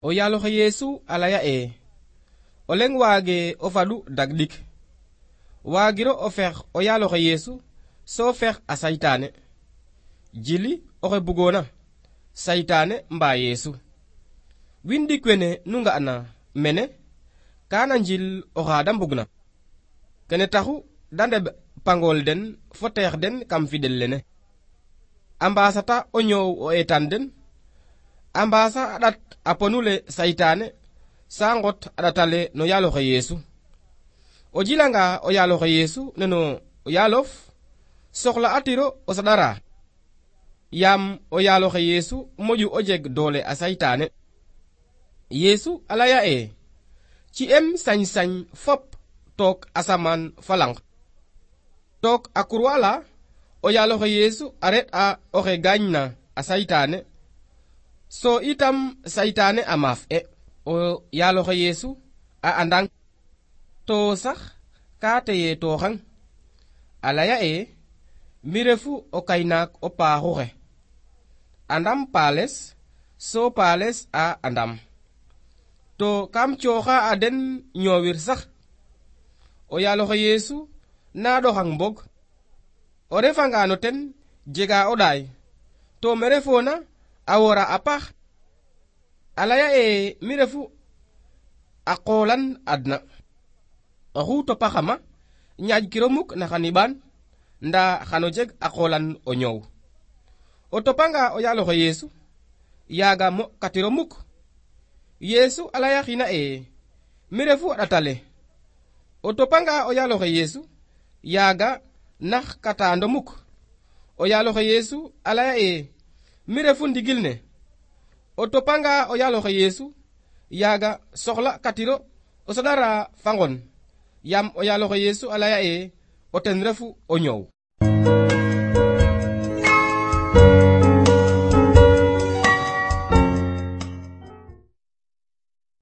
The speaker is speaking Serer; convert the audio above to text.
O yaaloxe Yeesu a laya o leŋ waage o faɗu dagɗik waagiro o fex o yaaloxe Yeesu so fex a saytaane jili oxe bugoona saytaane mbaa Yeesu. Wiin ɗik wene nu nga'na mene kaana njil oxa da mbugna kene taxu da ndeɓ pangool den fo teex den kam fiɗel lene a mbaasata o ñoow o eetan den a mbaasa a ɗat a ponule saytaane sa ngot a ɗatale no yaaloxe Yeesu. O jilanga o yaaloxe Yeesu neno o yaalof soxla atiro o saɗara yaam o yaaloxe Yeesu moƴu o jeg doole a saytaane. Yeesu a laya ci em sañ-sañ fop took asamaan fa lang took a kurwa la o yaaloxe Yeesu a reɗ'a oxe gaañna a saytaane so itam saytaane a maaf o yaaloxe Yeesu a andang to sax ka teye tooxang a laya mi refu o kaynaak o paaxu xe andam paales so paales a andam to kam cooxa a den ñoowir sax. O yaaloxe Yeesu na ɗoxang mbog o refanga no ten jega o ɗaay to me refoona a wora a paax a laya mi refu a qoolan adna oxu topaxama ñaaƴkiro muk na xa niɓaan ndaa xano jeg a qoolan o ñoow. O topanga o yaaloxe Yeesu yaaga mo'katiro muk. Yeesu a laya xina mi refu a ɗatale o topanga o yaaloxe Yeesu yaaga nax katando muk. O yaaloxe Yeesu a laya mi refu ndigil ne o topanga o yaaloxe Yeesu yaaga soxla katiro o saɗara fa ngon yaam o yaaloxe Yeesu a laya o ten refu o ñoow.